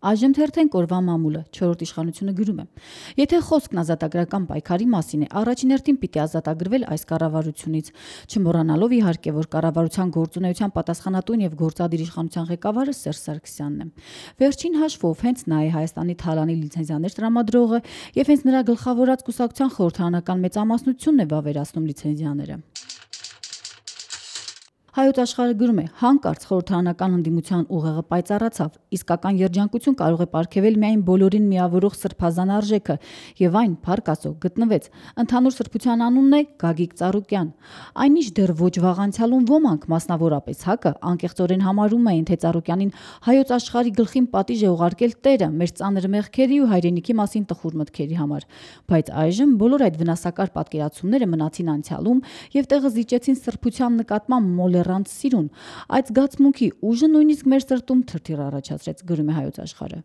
Այժմ թերթենք օրվա մամուլը, 4-րդ իշխանությունը գրում է. Եթե խոսքն ազատագրական պայքարի մասին է, առաջին հերթին պիտի ազատագրվել այս կառավարությունից, չմոռանալով իհարկե, որ կառավարության գործունեության պատասխանատուն եւ գործադիր իշխանության ղեկավարը Սերժ Սարգսյանն է։ Վերջին հաշվով հենց նա է Հայաստանի թալանի լիցենզիաներ տրամադրողը եւ հենց նրա գլխավորած կուսակցության խորհրդարանական մեծամասնությունն է վավերացնում լիցենզիաները։ Հայոց աշխարհը գրում է. հանկարծ խորհրդարանական ընդդիմության ուղեղը պայծառացավ, իսկական երջանկություն կարող է պարգևել միայն բոլորին միավորող սրբազան արժեքը, եւ այն, փառք Աստծո, գտնվեց։ Ընդհանուր սրբության անունն է Գագիկ Ծառուկյան։ Այնինչ դեռ ոչ վաղ անցյալում ոմանք, մասնավորապես ՀԱԿ-ը, անկեղծորեն համարում էին, թե Ծառուկյանին հայոց աշխարհի գլխին պատիժ է ուղարկել Տերը մեր ծանր մեղքերի ու հայրենիքի մասին տխուր մտքերի համար։ Բայց այժմ բոլոր այդ վնասակար պատկերացումները մնացին անցյալում եւ տեղը զիջեցին սրբության նկատմամբ մոլեռանդ սիրուն։ Այդ զգացմունքի ուժը նույնիսկ մեր սրտում թրթիռ առաջացրեց, գրում է Հայոց աշխարհը։